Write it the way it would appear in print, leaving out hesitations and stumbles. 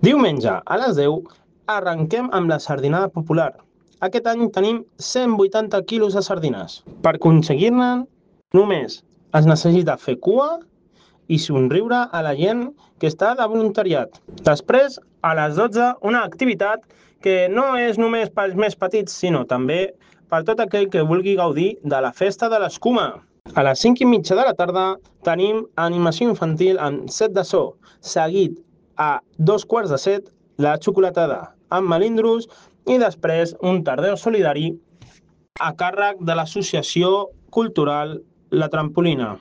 Diumenge a les 10 arrenquem amb la sardinada popular. Aquest any tenim 180 quilos de sardines. Per aconseguir-ne només es necessita fer cua i somriure a la gent que està de voluntariat. Després, a les 12, una activitat que no és només pels més petits, sinó també per tot aquell que vulgui gaudir de la festa de l'escuma. A les 5:30 de la tarda tenim animació infantil amb set de so, seguit a 2:15 la xocolatada amb melindros i després un tardeu solidari a càrrec de l'associació cultural La Trampolina.